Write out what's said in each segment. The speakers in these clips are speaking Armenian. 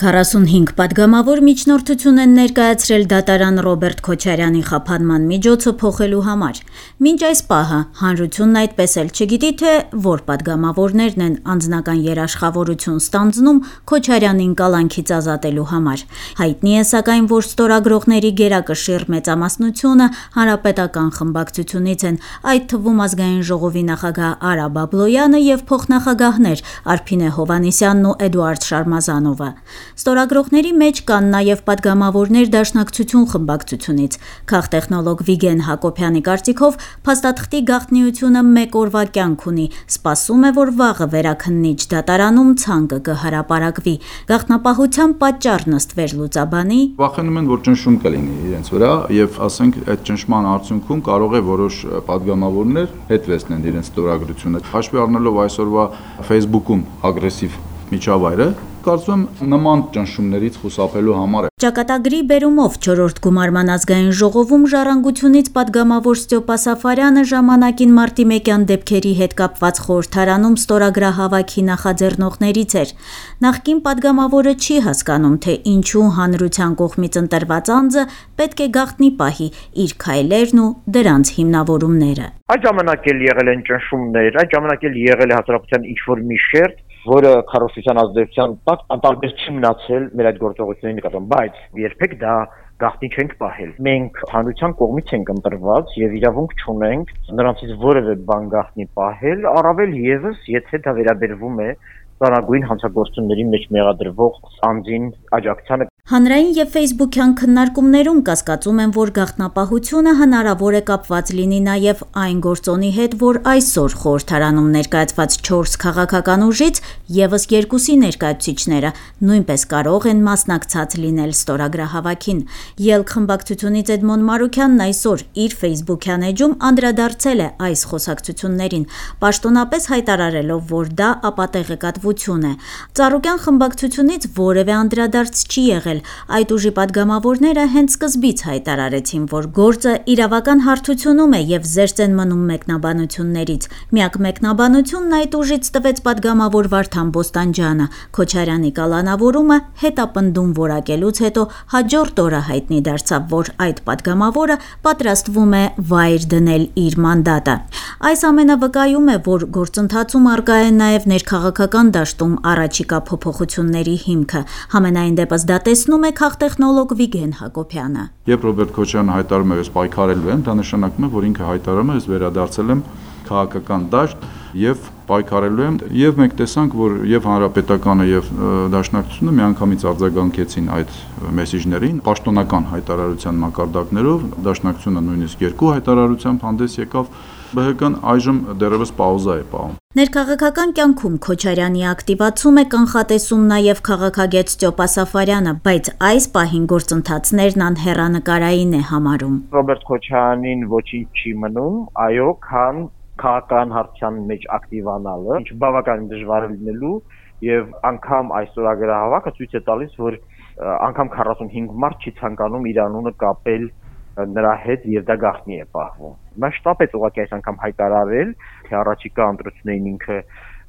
45 պատգամավոր միջնորդություն են ներկայացրել դատարան Ռոբերտ Քոչարյանի խափանման միջոցը փոխելու համար։ Մինչ այս պահը հանրությունն այդպես էլ չգիտի, թե որ պատգամավորներն են անձնական երաշխավորություն ստանձնում Քոչարյանին կալանքից ազատելու համար։ Հայտնի է սակայն, որ ստորագրողների գերակշիռ մեծամասնությունը հանրապետական խմբակցությունից են, այդ թվում ազգային ժողովի նախագահ Արա Բաբլոյանը եւ փոխնախագահներ Արփինե Հովհաննիսյանն ու Էդուարդ Շարմազանովը։ Ստորագրողների մեջ կան նաև պատգամավորներ Դաշնակցություն խմբակցությունից։ Քաղտեխնոլոգ Վիգեն Հակոբյանի կարծիքով փաստաթղթի գաղտնիությունը մեկ օրվա կյանք ունի, սպասում է, որ վաղը վերաքննիչ դատարանում ցանկը կհրապարակվի։ Գաղտնապահության պատճառն ըստ վերլուծաբանի վախենում են, որ ճնշում կլինի իրենց վրա եւ ասենք այդ ճնշման արդյունքում կարող է որոշ պատգամավորներ հետ վերցնեն իրենց ստորագրությունը։ Հաշվի առնելով այսօրվա Facebook-ում ագրեսիվ միջավայրը, կարծում եմ նման ճնշումներից խուսափելու համար է։ Ճակատագրի բերումով 4-րդ գումարման ազգային ժողովում ժառանգությունից պատգամավոր Ստյոպա Սաֆարյանը ժամանակին մարտի 1-յան դեպքերի հետ կապված խորհրդարանում ստորագրահավաքի նախաձեռնողներից էր։ Նախկին պատգամավորը չի հասկանում, թե ինչու հանրության կողմից ընտրված անձը պետք է գաղտնի պահի իր քայլերն ու դրանց հիմնավորումները։ Այդ ժամանակ էլ եղել են ճնշումներ, այդ ժամանակ էլ եղել է հասարակության ինչ-որ մի շերտ, որը քարոզչության ազդեցության տակ անտարբեր չի մնացել մեր այդ գործողությունների նկատմամբ, բայց երբեք դա գաղտնի չենք պահել։ Մենք հանրության կողմից ենք ընտրված եւ իրավունք չունենք նրանցից որևէ բան գաղտնի պահել, առավել եւս, եթե դա վերաբերվում է ծանրագույն հանցագործությունների մեջ մեղադրվող անձին աջակցությանը։ Հանրային եւ Facebook-յան քննարկումներում կասկածում են, որ գաղտնապահությունը հնարավոր է կապված լինի նաեւ այն գործոնի հետ, որ այսօր խորհրդարանում ներկայացված 4 քաղաքական ուժից եւս 2-ի ներկայացուցիչները նույնպես կարող են մասնակցած լինել ստորագրահավաքին։ Ելք խմբակցությունից Էդմոն Մարուքյանն այսօր իր Facebook-յան էջում անդրադարձել է այս խոսակցություններին, պաշտոնապես հայտարարելով, որ դա ապատեղեկատվություն է։ Ծառուկյան խմբակցությունից որևէ անդրադարձ չի եղել։ Այդ ուժի պատգամավորները հենց սկզբից հայտարարեցին, որ գործը իրավական հարթությունում է եւ զերծ են մնում մեկնաբանություններից։ Միակ մեկնաբանությունն այդ ուժից տվեց պատգամավոր Վարդան Բոստանջյանը։ Քոչարյանի կալանավորումը հետապնդում որակելուց հետո հաջորդ օրը հայտնի դարձավ, որ այդ պատգամավորը պատրաստվում է վայր դնել իր մանդատը։ Այս ամենը վկայում է, որ գործընթացում առկա է նաեւ ներքաղաքական դաշտում առաջիկա փոփոխությունների հիմքը։ Համենայն դեպս դա տեսնում է քաղտեխնոլոգ Վիգեն Հակոբյանը։ Երբ Ռոբերտ Քոչարյանը հայտարարում է, ես պայքարելու եմ, դա նշանակում է, որ ինքը հայտարարում է, ես վերադարձել եմ քաղաքական դաշտ եւ պայքարելու եմ, եւ մենք տեսանք, որ եւ հանրապետականը եւ Դաշնակցությունը միանգամից արձագանքեցին այդ մեսիջներին պաշտոնական հայտարարության մակարդակներով, Դաշնակցությունը նույնիսկ 2 հայտարարությամբ հանդես եկավ, ԲՀԿ-ն այժմ դեռևս պաուզա է պահում։ Ներքաղաքական կյանքում Քոչարյանի ակտիվացում է կանխատեսում նաև քաղաքագետ Ստյոպա Սաֆարյանը, բայց այս պահին գործընթացներն անհեռանկարային է համարում։ Ռոբերտ Քոչարյանին ոչինչ չի մնում, այո, քան քաղաքական հարցության մեջ ակտիվանալը, ինչ բավականին դժվար է լինելու եւ անգամ այս ստորագրահավաքը ցույց է տալիս, որ անգամ 45 մարդ չի ցանկանում իր անունը կապել նրա հետ եւ դա գաղտնի է պահվում։ Մասշտաբ է ուղղակի այս անգամ հայտարարել, թե առաջիկա ընտրություններին ինքը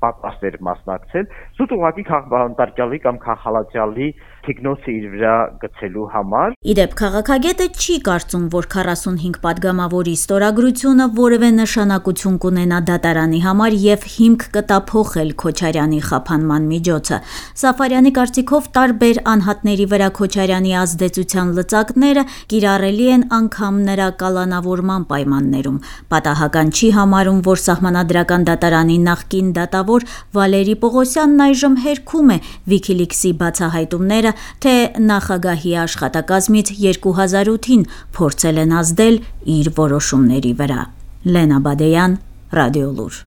պատրաստ էր մասնակցել, սուտ ուղղակի քաղաքապետարանի կամ քաղաքալացյալի թիկնոցը իր վրա գցելու համար։ Իդեպ քաղաքագետը չի կարծում, որ 45 պատգամավորի ստորագրությունը որևէ նշանակություն կունենա դատարանի համար եւ հիմք կտա փոխել Քոչարյանի խափանման միջոցը։ Սաֆարյանի կարծիքով տարբեր անհատների վրա Քոչարյանի ազդեցության լծակները կիրառելի են անգամ նրա կալանավորման պայմաններում։ Պատահական չի համարում, որ սահմանադրական դատարանի նախկին դատավոր Վալերի Պողոսյանն այժմ հերքում է Wikileaks-ի բացահայտումները, թե նախագահի աշխատակազմից 2008-ին փորձել են ազդել իր որոշումների վրա։ Լենա Բադեյան, Ռադիոլուր։